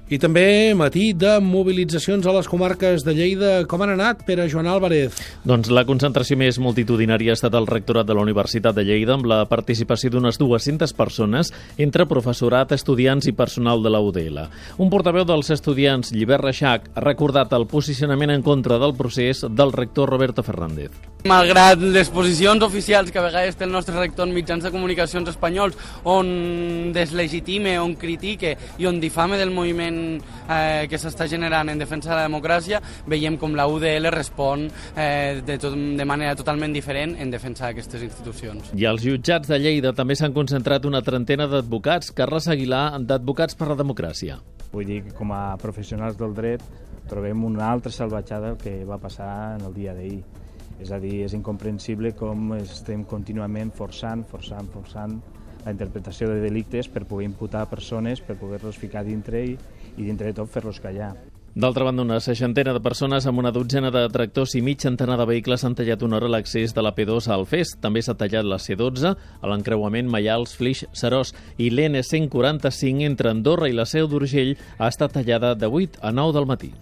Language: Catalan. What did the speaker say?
I també matí de mobilitzacions a les comarques de Lleida. Com han anat, Pere Joan Álvarez? Doncs la concentració més multitudinària ha estat al rectorat de la Universitat de Lleida, amb la participació d'unes 200 persones, entre professorat, estudiants i personal de la UDL. Un portaveu dels estudiants, Llibert Reixac, ha recordat el posicionament en contra del procés del rector Roberto Fernández. Malgrat les posicions oficials que a vegades té el nostre rector en mitjans de comunicacions espanyols, on deslegitime, on critique i on difame del moviment que s'està generant en defensa de la democràcia, veiem com la UDL respon de manera totalment diferent en defensa d'aquestes institucions. I als jutjats de Lleida també s'han concentrat una trentena d'advocats. Carles Aguilar, d'Advocats per la Democràcia. Vull dir que com a professionals del dret trobem una altra salvatjada que va passar en el dia d'ahir. És a dir, és incomprensible com estem contínuament forçant la interpretació de delictes per poder imputar persones, per poder-los ficar dintre i dintre de tot fer-los callar. D'altra banda, una 60 de persones amb una dotzena de tractors i mig centenar de vehicles han tallat una hora l'accés de la P2 a Alfés. També s'ha tallat la C12 a l'encreuament Maials-Flix-Seròs i l'N145 entre Andorra i la Seu d'Urgell ha estat tallada de 8 a 9 del matí.